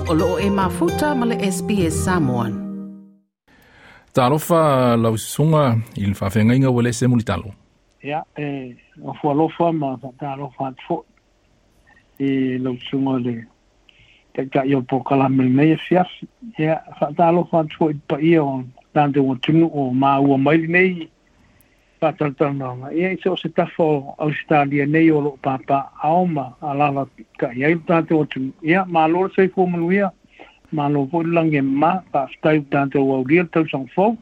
O loo e mafuta ma le SBS Samoan. Talofa lau susuga i le faafeagaiga Uelese Mulitalo. Ia, e ofo alofa ma faatalofa atu foi i lau susuga i le Taitai o le polokalame i lenei afiafi. Ia, faatalofa atu foi i le paia o le tatou atunuu o maua mai lenei faatalatalanoaga, ia i so o se tafa o Ausetalia nei o lo o papaaao ma alaalatai ai lo tatou atunuu. Ia, malo le soifua manuia, malo foi le lagi e mama, faafetai ua tatou aulia le tausaga fou.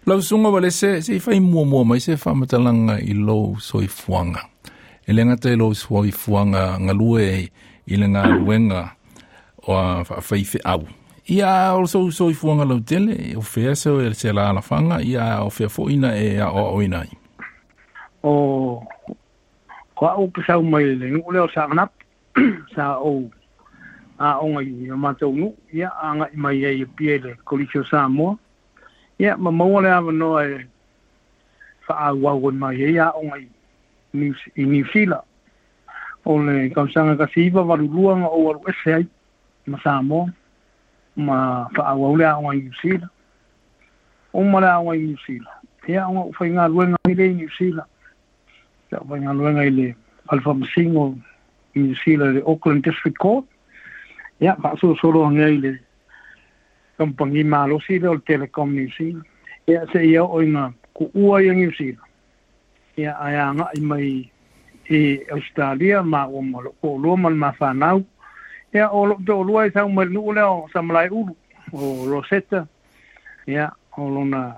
Lau Susuga Uelese, se i fai muamua mai se faamatalaga i lou soifuaga. E le gata i lou soifuaga galue i le galuega o faafaifeau. Ia, o sou soifuaga lautele, o fea se alaalafaga, ia, o fea foi na e aoaoina ai? O o au ke sau mai le nuu lea o Saanapu, sa ou aoga i o matou nuu, ia agai mai ai i Apia i le Kolisi o Samoa. Ia, ma maua le avanoa e faaauau ai mai ai aoga i i Niu Sila. O le tausaga 1982 na ou alu ese ai ma Samoa ma faaauau le aoga i Niu Sila. Uma le aoga i Niu Sila, ia ona ou faigaluega ai lea i Niu Sila. Sa ou faigaluega i le Fale Faamasino i Niu Sila i le Auckland District Court. Ia, faasolosolo ane ai i le kamupani malosi lea o le Telecom New Zealand. Ia, seia oo ina kuua ia Niu Sila, ia, ae agai mai i Ausetalia maua ma lou toalua ma le ma fanau. Ia, o lou toalua e sau mai le nuu lea o Samalaeulu, o Rosetta, ia, o lona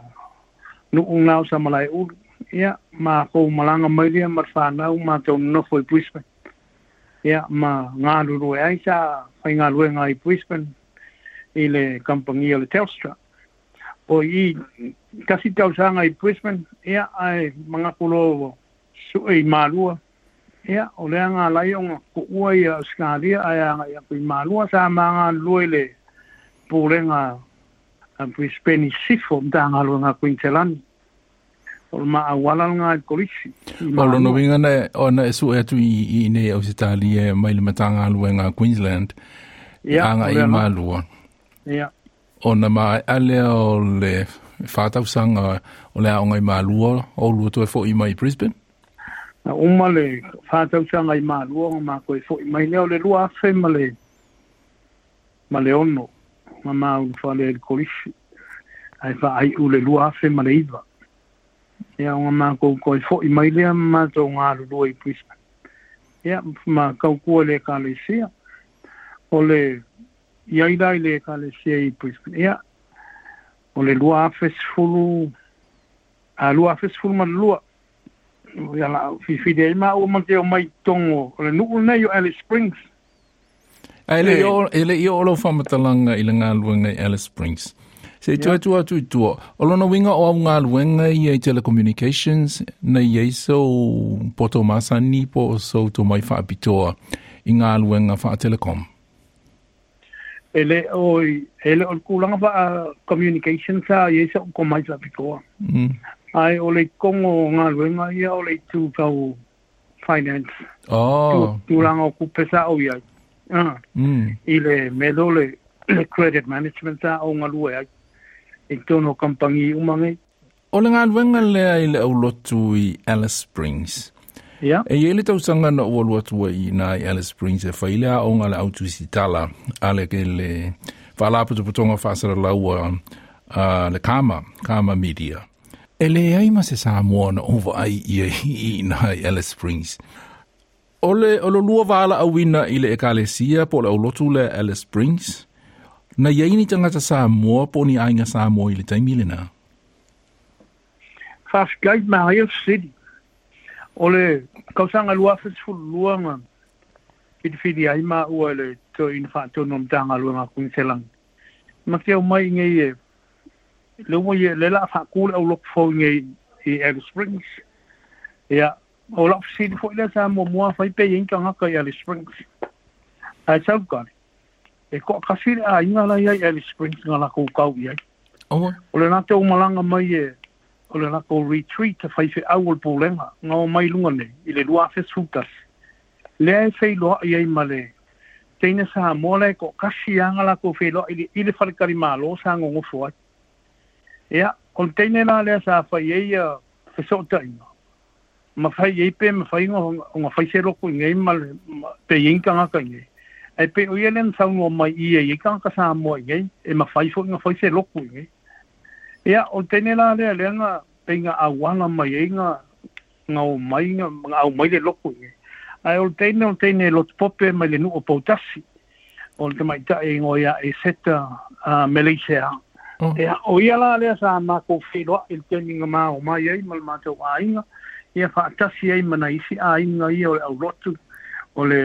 nuu lena o Samalaeulu. Ia, makou malaga mai lea ma le fanau matou nonofo i Brisbane. Ia, ma galulue ai sa faigaluega i Brisbane i le kamupani o le Telstra. O i tasi tausaga i Brisbane, ia, ae manatu loa ua sue i Malua. Ia, o lea na ala ai ona tuua ia Ausetalia ae agai atu i Malua. Sa ma galulue i le Pulega a Brisbane i Sisifo, Matagaluega a Kuiniselani. O le ma auala lena i le Kolisi i O lona Malua. uiga na, ona e sue atu i inei i Ausetalia mai le Matagaluega a Queensland, Ia, o agai lea i lava. Malua. Ia. Ona maea lea o le 4 tausaga o le aoga i Malua, o lua toe foi mai i Brisbane. Na uma le 4 tausaga i Malua ona matou foi mai lea o le 2000 ma le 6 na ma ulufale ai i le Kolisi ae faaiu le 2009. Ia, ona matou toe foi mai lea ma matou galulue i Brisbane. Ia, ma tautua i le Ekalesia. O le i ai la i le Ekalesia i Brisbane. Ia, o le 2010 a 2012 ia la filifili ai maua ma te omai i totonu o le nuu lenei o Alice Springs. Ae le i oo, e le i oo lau faamatalaga i le galuega i Alice Springs. Se i toe tuu atu i tua, o lona uiga o au galuega ia i telecommunications, na i ai sou poto masani po o sou tomai faapitoa i galuega faa-telecom? E le o e le o le tulaga faa communication sa i ai sa'u tomai faapitoa. Ae o le i totonu o galuega ia o le itu tau finance. Tulaga o tupe sa ou i ai. I le mea lea o le credit management sa ou galue ai i totonu o kamupani uma nei. O le galuega lea i le aulotu i Alice Springs. Ia. E i ai le tausaga na ou alu atu ai i ina i Alice Springs e fai le aoga a le au tusitala a le le Faalapotopotoga Faasalalaua a le Kama, Kama Media. E leai ma se Samoa na ou vaai i ai i ina i Alice Springs. O le o lo lua valaauina i le Ekalesia po o le aulotu lea Alice Springs, na i ai ni tagata Samoa po o ni aiga Samoa i le taimi lena? Faafetai manaia le fesili. O le tausaga 2012 na filifili ai maua e le Toeaina Faatonu o le Matagaluega a Kuiniselani. Ma te omai i nei e le ua ia le la faatu le aulotu fou i nei i Alice Springs. Ia, o lau fesili foi lea sa muamua fai pe i ai ni tagata i Alice Springs. Ae sau tali, e toatasi le aiga la e i ai i Alice Springs na latou tau i ai. Aua. O le latou malaga mai e o le latou retreat a faifeau o le Pulega na omai i luga nei i le 2011, lea e feiloai ai ma le Teine Samoa la e to'atasi lava latou feiloa'i i le faletalimālō sa gogofo ai. Ia, o le teine la lea sa fai ai ia feso'ota'iga ma fai ai pe mafai ona fai se lotu i inei ma pe i ai ni tagata i inei. Ae pei o ia lea na saunoa mai i e i ai tagata Samoa i inei e mafai fo'i ona fai se lotu i inei. Ia, o le teine la lea lea na pei na auala mai ai na na omai na aumai le lotu i inei. Ae o le teine o le teine e lotu pope mai le nu'u o Poutasi, o le tamaitai e igoa ia Eseta Meleisea. Ia, o ia la lea sa matou feiloa'i i le taimi na ma omai ai ma le matou aiga, ia fa'atasi ai ma nai isi aiga ia o le aulotu o le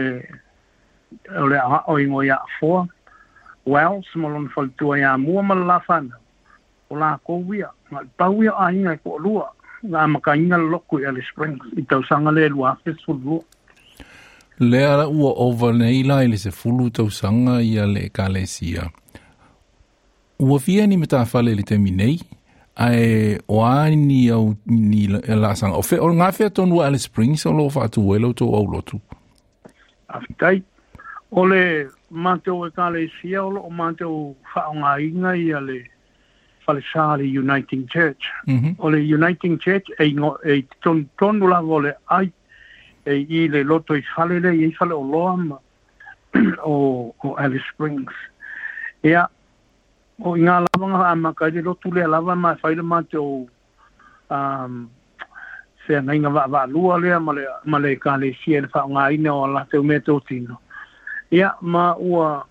o le a'oa'o igoa ia Afoa Wells ma lona faletua iā Mua ma le la fanau, o lakou ia, na o le pau ia o aiga e to'alua na amataina le lotu i Alice Springs i tausaga lea 2012. Lea ua ova nei la i le 10 tausaga ia le Ekalesia. Ua fia ni matafale i le taimi nei, ae o a ni au ni laasaga? O fea, o gafea tonu a Alice Springs o lo o faatu ai la outou aulotu? Faafetai. O le matou Ekalesia o lo o matou faaaogaina ia le falesa le Uniting Church. O le Uniting Church e e i totonu tonu lava o le aai e i le loto i fale lea e i ai faleoloa ma o Alice Springs. Ia, o i ina lava na amata ai le lotu lea lava ma e fai le matou feagaiga vaavaalua lea ma le ma le Ekalesia i le faaaogaina o a latou meatotino. Ia, ma ua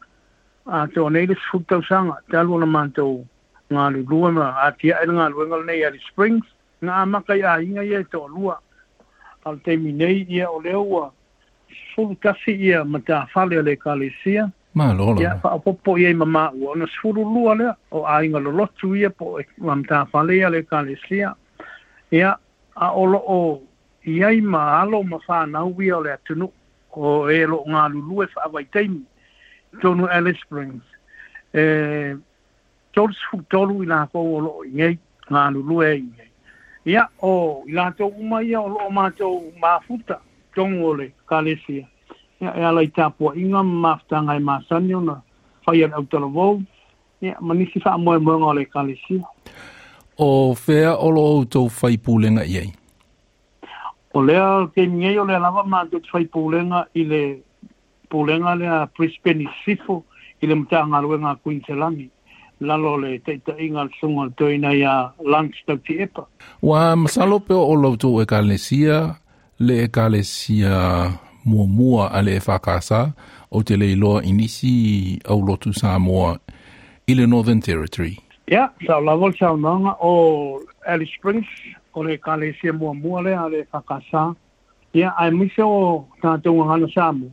atoa nei le 10 tausaga talu ona matou galulue ma atia'e le galuega lenei i Alice Springs. Na amata i aiga ia e to'alua, a o le taimi nei, ia, o lea ua 11 ia matafale a le Ekalesia. Malo lava. Ia, faaopoopo i ai ma maua, ona 12 lea o aiga lolotu ia po o matafale ia a le Ekalesia. Ia, a o lo o i ai ma alo ma fanau ia o le atunuu o e o lo o galulue faavaitaimi i totonu o Alice Springs. E 33 i latou o lo o i inei, galulue ai i inei. Ia, o i latou uma ia o lo o matou mafuta i totonu o le Ekalesia, ia, e ala i tapuaiga ma mafutaga e masani ona fai e le autalavou, ia, ma nisi faamoemoega o le Ekalesia. O fea o lo o outou fai pulega i ai? O lea taimi nei o lea lava matou te fai pulega i le pulega lea a Brisbane i Sisifo i le Matagaluega a Kuiniselani, lalo o le taitaiga a le Susuga o le Toeaina ia Lance Tautiepa. Ua masalo pe o la outou Ekalesia le Ekalesia muamua a le EFKS, ou te le iloa i nisi aulotu Samoa i le Northern Territory. Ia, sao lava le saunoaga, o Alice Springs, o le Ekalesia muamua lea a le EFKS, ia, aemaise o tatou gagana Samoa,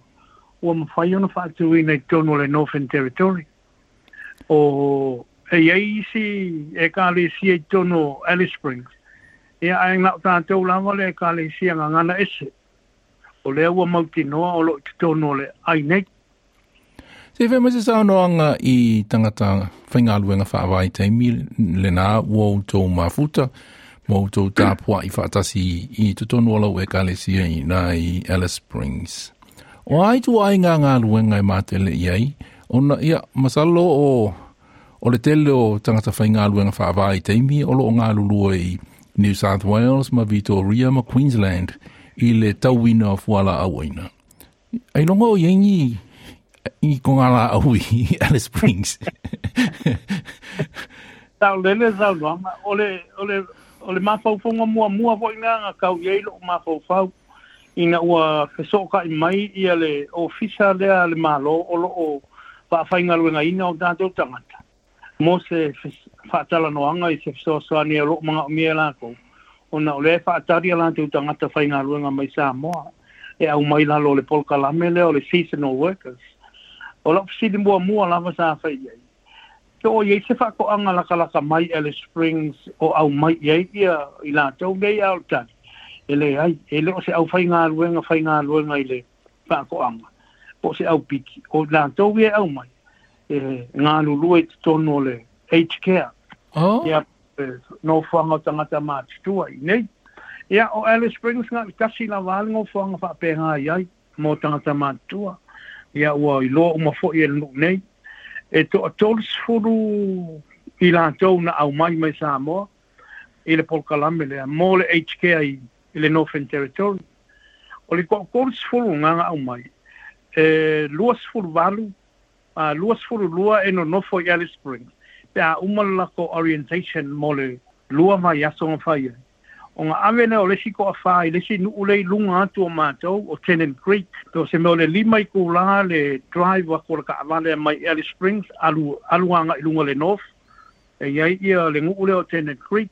ua mafai ona faatuina i totonu o le Northern Territory. O, e i ai isi Ekalesia i totonu o Alice Springs, ia, ae na o tatou lava le Ekalesia Gagana Ese, o lea ua mautinoa o lo o i totonu o le ai nei. Se i fai mai se saunoaga i tagata faigaluega faavaitaimi lena ua outou mafuta ma outou tapua'i faatasi i totonu o lau Ekalesia i ina i Alice Springs. O a ituaiga galuega e matele i ai, ona, ia, masalo o, o le tele o tagata faigaluega faavaitaimi o lo o galulue i New South Wales ma Vitoria ma Queensland i le tauina o fualaau aina. Ailoga o i ai ni i kogalaau i Alice Springs. Saolele saunoaga, o le, o le, o le mafaufauga muamua foi lena na tau i ai lou mafaufau, ina ua fesoota'i mai ia le ofisa lea a le Malo o lo o faafaigaluegaina o tatou tagata mo se faatalanoaga i se fesoasoani o lo o manaomia e latou, ona o lea e faatali a latou tagata faigaluega mai Samoa e aumai lalo o le polokalame lea o le seasonal workers. O lau fesili muamua lava sa fai i ai, pe o i ai se faatoaga latalata mai Alice Springs o aumai i ai ia i latou nei, a o le tali, e leai, e le o se aufaigaluega faigaluega i le faatoaga, po o se aupiki, o i latou ia e aumai, e galulue i totonu o le aged care. Ia, nofoaga o tagata matutua i inei. Ia, o Alice Springs na o le tasi lava le nofoaga faapena i ai mo tagata matutua. Ia ua iloa uma fo'i e le nu'u nei e to'atolu i latou na aumai mai Samoa i le polokalame lea mo le aged care i le Northern Territory. O le to'atolu gaga aumai, e 28, 22 e nonofo i Alice Springs pe a uma le latou orientation mo le 2 vaiaso na fai ai. Ona ave lea o le isi to'afa i le isi nu'u lea i luga atu o matou o Tennant Creek. Po o se mea o le 5 itulā le drive atu o le taavale mai Alice Springs alu alu aga'i luga le north e i ai ia le nu'u lea o Tennant Creek.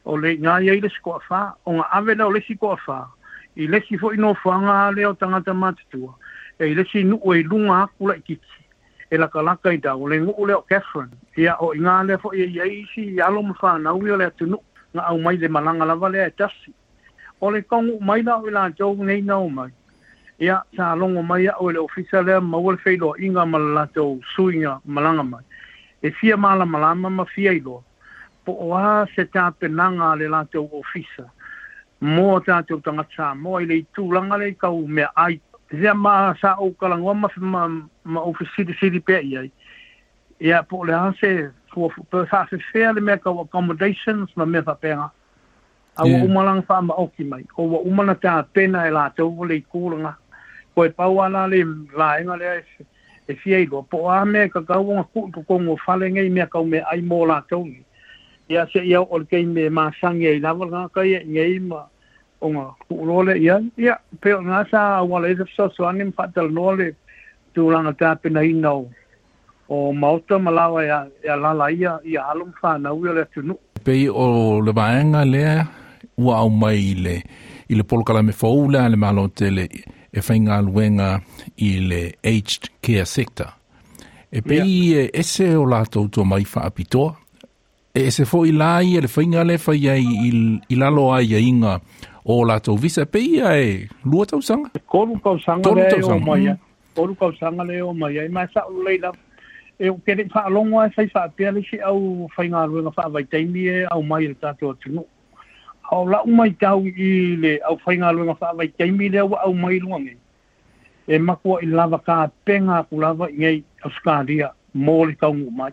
O le iga i ai le isi to'afa. Ona ave lea o le isi to'afa i le isi fo'i nofoaga lea o tagata matutua e i le isi nu'u e i luga atu laitiiti e latalata i tau o le nu'u lea o Katherine. Ia o iga lea fo'i e i ai isi alo ma fanau ia o le atunu'u na aumai le malaga lava lea e tasi. O le taunu'u mai la o i latou nei na omai, ia sa logo mai a'u e le ofisa lea maua le feiloa'iga ma le latou suiga malaga mai e fia malamalama ma fia iloa po o a se tapenaga a le latou ofisa mo tatou tagata Samoa i le itulaga lea i tau meaai. Ia ma sa ou talanoa ma ou fesilisili pea i ai, ia po o le a se pe faafefea le mea tau accommodations ma mea faapena. A ua uma lana faamaoti mai, o ua uma na tapena e latou le itu lena. Koe pau ala le vaega lea e fia iloa, po o a mea e tatau ona tuu i totonu o fale nei mea tau meaai mo latou nei. Ia seia oo i le taimi e masani ai lava le tagata ia i nei ma ona tuu loa lea i ai. Ia, pei o lena sa auala ai se fesoasoani ma faatalanoa le tulaga tapenaina o maota ma laoa e alaala ai ia alo ma fanau ia o le atunu'u. Pei o le vaega lea ua aumai i le polokalame fou lea a le Malo tele e faigaluega i le aged care sector. E pei e ese o latou tomai faapitoa. E ese fo'i la ia le faiga lea e fai ai i lalo o aiaiga o latou visa. E pei ia e 2 tausaga. 3 tausaga lea e oo mai ai. 3 tausaga lea e oo mai ai. Ma e sa'o lelei lava. E ou te le'i faalogo lava e fai faapea le isi au faigaluega faavaitaimi e aumai e le tatou atunu'u. A o la'u maitau i le aufaigaluega faavaitaimi lea ua aumai i luga nei, e matua'i lava tapena atu lava i nei Ausetalia mo le taunuu mai.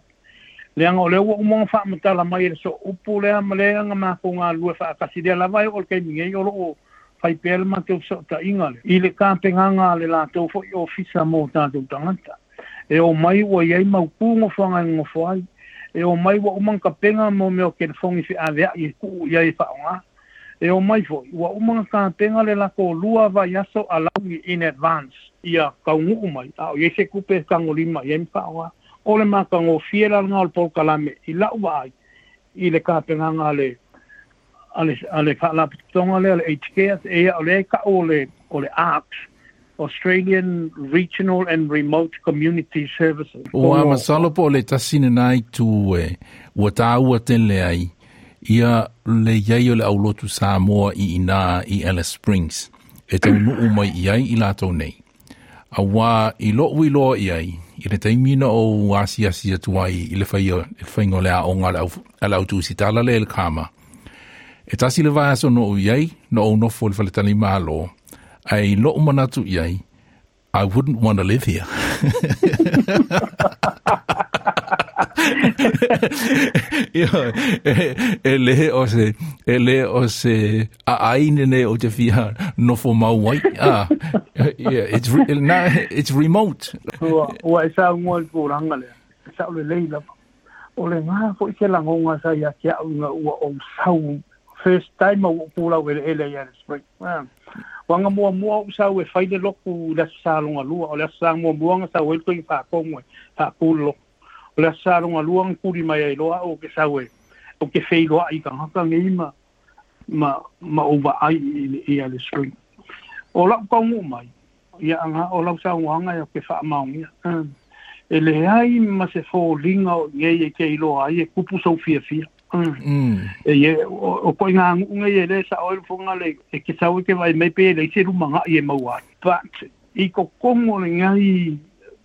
Leaga o lea ua uma ona faamatala mai e le sooupu lea ma lea na matou galulue faatasi lea lava e oo i le taimi nei o loo fai pea le matou fesootaiga lea i le tapenaga a le latou foi ofisa mo tatou tagata. E omai ua i ai mautū nofoaga e nonofo ai. E omai ua uma ona tapena mo mea o telefoni feavea'i e tuu i ai e faaaogā. E omai foi ua uma ona tapena le latou 2 vaiaso alauni in advance ia taunuu mai a o i ai se tupe e tagolima i ai ma faaaogā. O le matagofie la lena o le polokalame i la'u vaai i le tapenaga a le faalapotopotoga lea le Aged Care. E o lea e ta'u o le ARCS, Australian Regional and Remote Community Services. Ua masalo po o le tasi lena itu e ua tāua tele ai ia le i ai o le aulotu Samoa i inā i Alice Springs e taunuu mai i ai i latou nei. Auā i lo'u iloa i ai, i le taimi na ou asiasi atu ai i le faiga o le aoga a le au tusitala lea i le Kama, e tasi le vaiaso na ou i ai, na ou nofo i le faletalimalo, ae i lo'u manatu i ai, I wouldn't want to live here. Ia, e le o se, e le o se aai nei ou te fia nofo mau ai. Ah, yeah, na, it's remote. Ua e saunoa i le tulaga lea, e sa'o lelei lava. O lena fo'i se lagoga sa ia te a'u ina ua ou sau first time ua ou pulau eleele i Alice Springs. Ua aga muamua ou sau e fai le lotu i le Aso Sa lona lua. O le Aso Sa muamua na sau ai le toeaina faatonu e faatu le lotu. O le Aso Sa lona lua na tuli mai ai loa a'u ou te sau e ou te feiloa'i i tagata nei ma ou vaai i Alice Springs. O la'u taunuu mai, ia aga o lau saunoaga e ou te faamaonia. E leai ma se foliga o i nei e te iloa ai e tupu sou fiafia. E ie, o koʻiga nuʻu nei e lē saʻo ai le fofoga le e ke sau e ke vaai mai pe e leai se lumagaʻi e maua ai. But i totonu o legai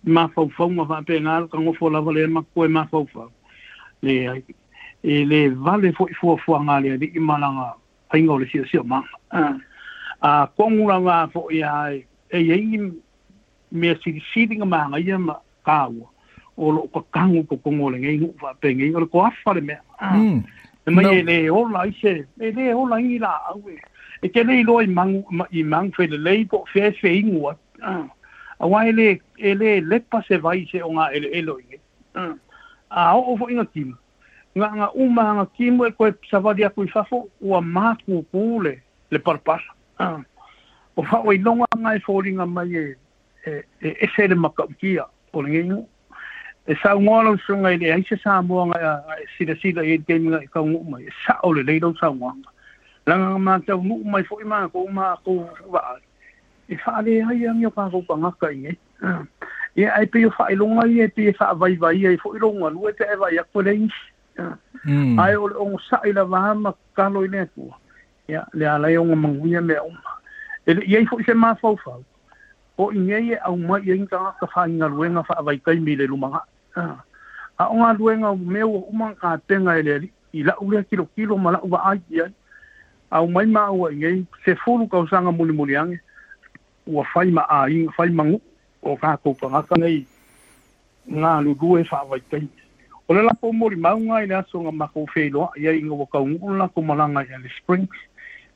mafaufauga faapena le tagofo lava lea ma koe mafaufau, leai, e lē vale foʻi fuafuaga a le aliʻi ma lana faiga o le siosiomaga. A tonu lava foʻi a e i ai ni mea silisili ga magaia ma taua o loo kakagu kokogo o legei nuu faapegei o le koafa le mea e mai e lē ola ai se e lē ola ai ni laau e te lē iloa i magu i magu felelei po o fea e feigu ai auā e lē e lē lepa se vai se o gaʻeleʻele o igei a oo foʻiga timu gaʻaga uma aga timu e toe savali atu i fafo ua makūkū le le palapala o faʻoiloga aga e foliga mai e e ese le matautia o lenei nuu e saugoa lau susuga i leai se Samoa ga e silasila i ai le taimi ga e taunuu mai e sao lelei lau saunoaga laga ga mataunuu mai foʻi makou makou vaai e faaleai agi o kakou tagata i nei ia ae pei o faailoga ia e pei e faavaivai ai foʻi lou galue pe ae vaai atu e leai nisi ae o le ogosaʻi lava ma tatalo i le Atua ia le ala ai o ona manuia mea uma e leʻi ai foʻi se mafaufau o i nei e aumai i ai ni tagata faigaluega faavaitaimi i le lumanaʻi a o galuega o mea ua uma ona tapena e le alii i la'u lea tilotilo ma la'u vaai i ai aumai maua i nei 10 tausaga mulimuli age ua fai ma aiga fai ma nuu o tatou tagata nei galulue faavaitaimi o le latou molimauga i le aso na matou feiloaʻi ai ina ua taunuu le latou malaga i Alice Springs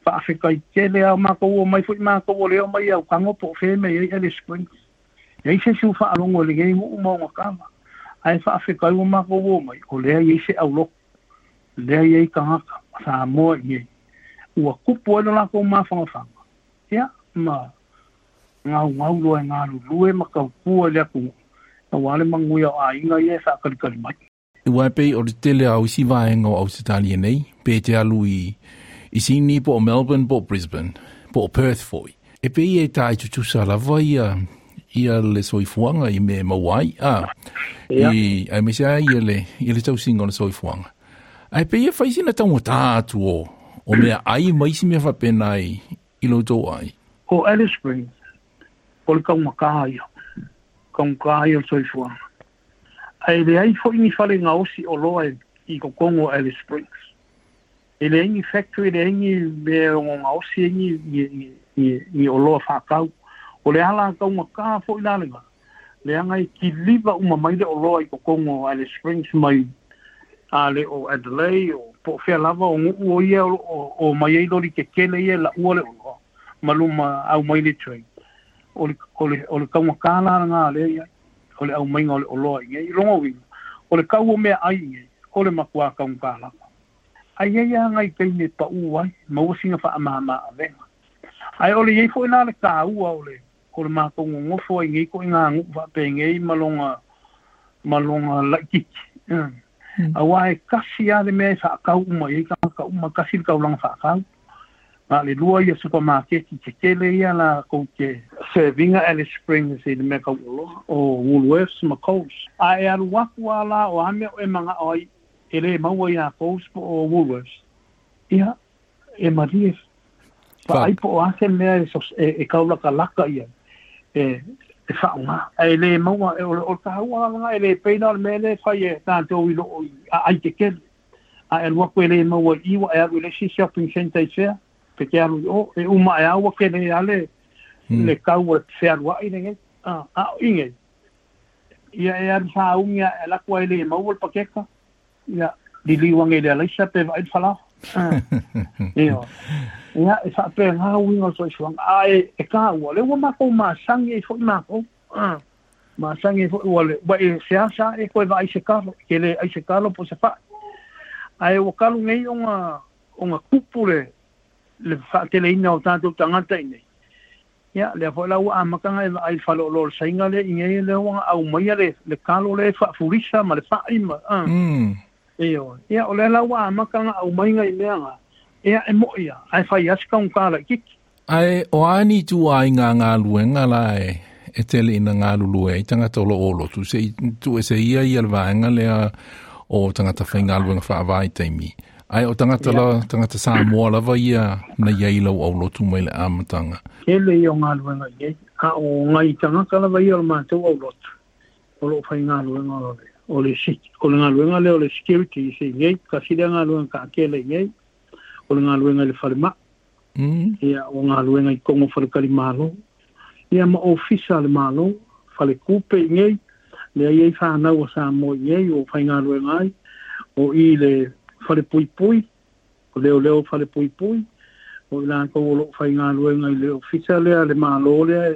faafetai tele a matou o mai foʻi matou o lea o mai autago po o fea mea i ai Alice Springs e ai se isi ua faalogo i lenei nuu ma ona kava ae faafetai ua matou o mai o lea i ai se aulotu lea i ai tagata Samoa i nei ua tupu ai lo latou mafanafana ia ma gaugau loa e galulue ma tautua i le atunuu auā le manuia o aiga ia e faakalikali mai. Aua e pei o le tele lava o isi vaega o Ausetalia nei, pe te alu i i Sydney po o Melbourne po o Brisbane po o Perth foi, e pei e tae tutusa lava ia ia le soifuaga i mea e maua ai, a, i, aemaise lava ia le, ia le tausiga o le soifuaga. Ae pei e fai sina taugata atu o, o meaai ma isi mea faapena i, i lo outou ai. O Alice Springs, o le taugata ia, taugata ia o le soifuaga. Ae leai foi ni fale gaosi oloa i totonu o Alice Springs. E leai ni factory, leai ni mea e ono gaosi ai ni, ni oloa faatau. O le ala taugata foi la lena, leaga e kiliva uma mai le oloa i totonu o Alice Springs mai a le o Adelaide o po o fea lava o nuu o ia o loo o mai ai loli tetele ia e laua le oloa ma luma aumai le train. O le, o le, o le taugata la lena lea e i ai, o le aumaiga o le oloa i nei. I lona uiga, o le kau o meaai i nei, o le matua taugata lava. Ae i ai lava nai taimi e paʻū ai, maua sina faamama-avega. Ae o le i ai foi la le taua o le, o le matou nonofo ai i nei ituaiga nuu faapenei ma lona, ma lona laitiiti. Auā e tasi lava le mea e faatau uma i ai tagata uma, tasi le taulaga faatau. Na o le lua ia supamaketi tetele ia latou te serve ina Alice Springs i le mea tau oloa o Woolworths ma Coles. A e alu atu lava la o a mea o e manao ai e lē maua iā Coles po o Woolworths, ia, e malie vaai po o a se mea e kaulakalaka i ai e e faaaoga. Ae lē maua o le taua lava lena e lē pei la o le mea lea e fai e tatou i loo i aai tetele. A e alu atu e lē maua i i ua e alu i le isi shopping centre i fea pe te alu i o e uma ae a ua tele a le le kau o le fealuaʻi lenei a o i nei ia e alu sauni a e alu atu ai lē maua le pakeka ia liliu ane i le alaisa pe vaai le falaoa ioe ia e faapena uiga o le soifuaga ae e taua lea ua matou masani ai foʻi makou masani ai foʻi ua le ua e seasa e toe vaai se kalo e ke lē ai se kalo po o se faʻi ae ua talu nei ona ona tupu le le faateleina o tatou tagata i nei ia lea foʻi la ua amata ona e vaai i le faleoloa o le Saina lea i nei lea ua aumaia le le kalo lea e faafulisa ma le faʻi ma ioe ia o lea la ua amata ona aumai nai mea na ia e moʻi a ae fai lava si taugata laitiiti. Ae o a ni ituaiga galuega la e e tele ina galulue ai tagata o loo lotu seʻi tuuese ia ia le vaega lea o tagata faigaluega faavaitaimi ae o tagata la tagata Samoa lava ia na i ai lau aulotu mai le amataga. Tele ia o galuega i ai, a o nai tagata lava ia o le matou aulotu o loo faigaluega o le o le o le galuega lea o le security i se i nei, tasi lea galuega taatele i nei, o le galuega i le falemai, ia o galuega i totonu o faletalimalo. Ia ma ofisa le malo, fale kupe i nei, le ai ai whanau o Samoa i nei, o whaingaluenga ai, o i le fale puipui, o leo leo fale puipui, o i lākou o loo whaingaluenga i le ofisa lea, le malo lea,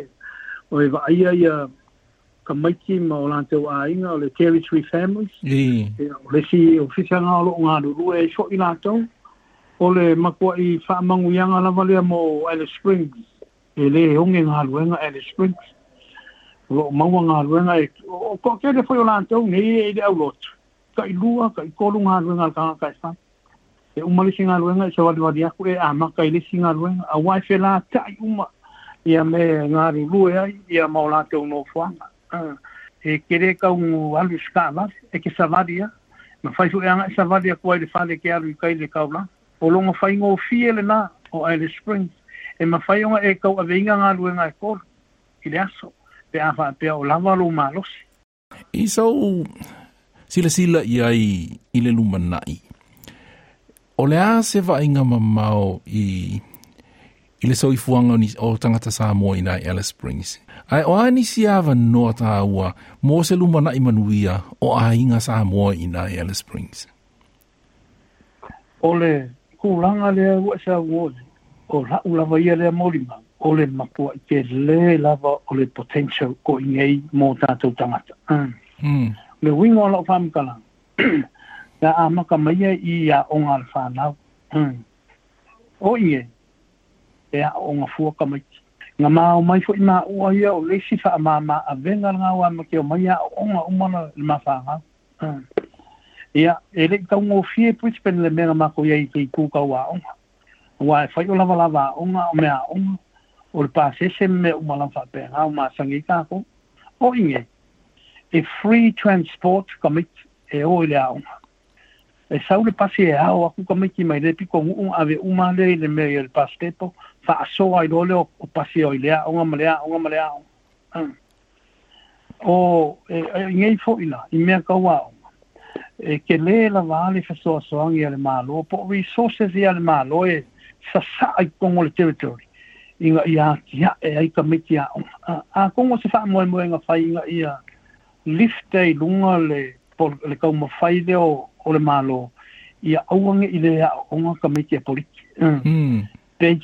o e vaaia ia kamaiti ma o lātou aiga, o le Territory Families. Ia, o le si ofisa ngā o loo ngā lulue e so i lātou, o le makua i whaamanguianga lava lea mo Alice Springs, e le onge ngā luenga Alice Springs. O loo maua ngā luenga e, o ko kele foi o lātou nei e le aulotu. Ka i lua, ka i kolu ngā luenga al kanga ka e whai. E uma le si ngā luenga e sa wali wali aku e a maka i le si ngā luenga. A wai whela tai uma ia me ngā lulue ai, ia ma o lātou no fuanga. E kere kau ngu alu skavali, e ke savaria. Ma whai fu e anga e savaria kua i le whale ke alu i kai le kaula. O longa whai ngō fie le nā o Alice Springs. E ma whai onga e kau aveinga ngā luenga e kolu i le aso. Pe a whaapea o lava lo malosi. I sau sila sila i ai i le lumanai. O le a se vainga mamao i le soifuaga o tagata Samoa i nai Alice Springs. Ae o a nisi avanoa tāua mo se lumanaʻi manuia o aiga Samoa i nai Alice Springs. O le kūlanga lea ua sa uo o lau lava ia lea molima o le makua i ke le lava o le potential ko i ngei mō tātou tangata. Le winga o lau whamkala ia a maka maia i a onga le whanau. O i ngei e a onga fua ka maiti. Ngā mā o mai fo i mā ua ia o lesi wha a mā a venga ngā ua ma ke o mai a onga umana le mā whangau. Ia, e le kau ngō fie Brisbane le mea mako ia i te kūka ua onga. Ua e whai o lava lava a onga o mea onga o le pāsese me umala whapenga o mā sangi kāko. O inge, e free transport ka maiti e o i le a onga. E sau le pasi e ao aku ka maiti mai le piko ngu ave uma le i le mea i le pastepo wha asoa i lole o pasi o i le a onga ma le a onga ma le a onga. O e ngei fo ila i mea kau a onga. E ke le la vale whasoa soangi a le malo, po resources i a le malo e sasa ai kongo le territory. Inga ia kia e ai ka maiti a onga. A kongo se wha moe moe nga whai inga ia lift e lunga le kau mawhai leo o le malo ia auange i le a onga ka maiti a poliki. Pei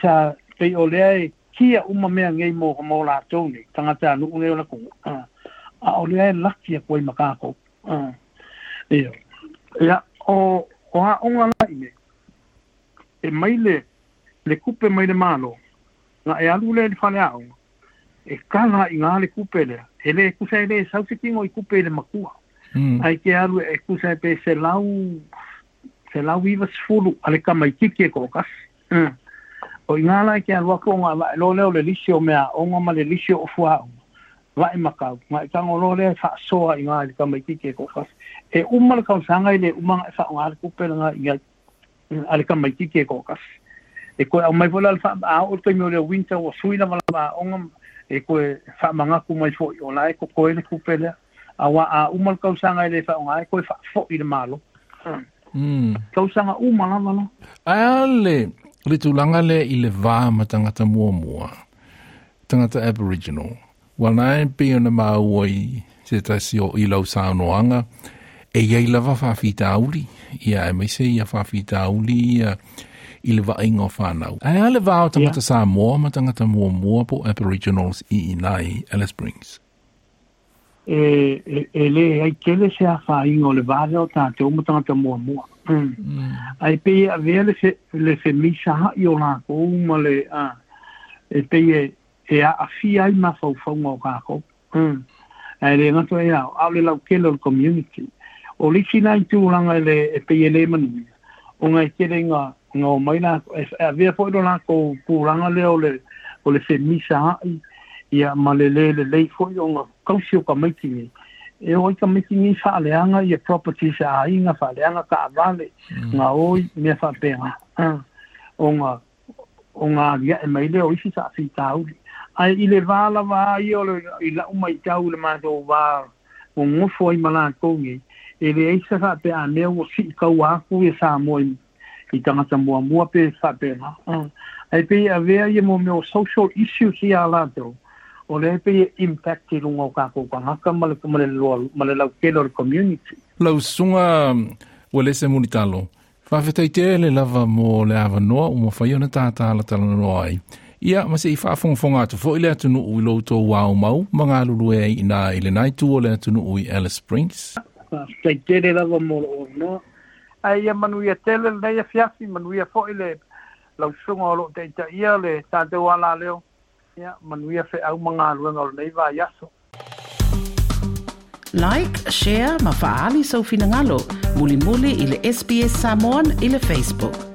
pei o lea e kia uma mea ngei mō lātou nei, tangata anu nei o la kongo. A o lea e laki a koe makākou. Ia, ia o a onga la i nei, e mai le kupe mai le malo, ngā e alu le whale a onga, e kala i ngā le kupe lea, e le kusa e le saufikingo i kupe i le makua. Ai ke alu e kusa e pe se lau iwa sfulu a le kamaitiki e kookasi. O i ngā lai ke alu ako ngā wa lo leo le lisi o mea onga ma le lisi o fua onga. Wa e makau, ngā i tango lo lea e whaasoa i ngā i le kamaitiki e kookasi. E uma le kausanga i le umanga e wha ngā le kupe ngā i ngā a le kamaitiki e kookasi. E koe au mai fola le wha a o te meo le winter o suina wala onga e koe wha mangaku mai fo i o la e ko koe le kupe lea. A wa a uma le kausanga i le wha ngā e koe wha fo i le malo. Kausanga uma lava la. Ae le tūlanga le i le vā ma tangata muamua, tangata Aboriginal. Wa nai pe ona maua i se tasi o i lau saunoanga, e iai lava whawhitauli, ia e meise ia whawhitauli ia i le vainga o whanau. Ae a le vā o tangata Samoa ma tangata muamua po Aboriginals i inai Alice Springs. E le ai kele se a whainga o le vāle o tātou ma tangata muamua. Ai pe a vea le whemisa ha i o lākou ma le e pe e a awhia ai mawhauwhaunga o kākou. Ai le ngato e au, au le lau kele o le community. O lisi nai tūlanga e pe e le manuia. O ngai kele ngā o mai lākou, e a vea fo i lo lākou kūlanga lea o le whemisa ha i ia ma le le le lei fo i o ngā kausi o ka maiti nei. E oi ka maiti nei whaaleanga ia properties a inga whaaleanga ka awale ngā oi mea whaapenga. O ngā ria e mai leo isi sa whitauri. Ai i le wāla wā i o le i lau mai tau le mātou wā o ngofo ai malākou nei. E le eisa whaapea a mea o si kau aku e Samoa i tangata muamua pe whaapenga. Ai pe a vea ia mo meo social issues i a lātou. O lea e pei e impact i luga o tatou tagata ma le ma le ma le lautele o le community. Lau susuga Uelese Mulitalo, faafetai tele lava mo le avanoa ua mafai ona tatalatalanoa ai. Ia, ma se i faafogafoga atu foi le atunuu i lo outou aumau ma galulue ai i ina i lena itu o le atunuu i Alice Springs. Faafetai tele lava mo lou avanoa. Ae ia manuia tele lenei afiafi, manuia foi le lau susuga o lo o taitaia le tatou alaleo. Ia, manuia feau ma galuega o lenei vaiaso. Like, share ma faaali sou finagalo mulimuli i le SBS Samoan i le Facebook.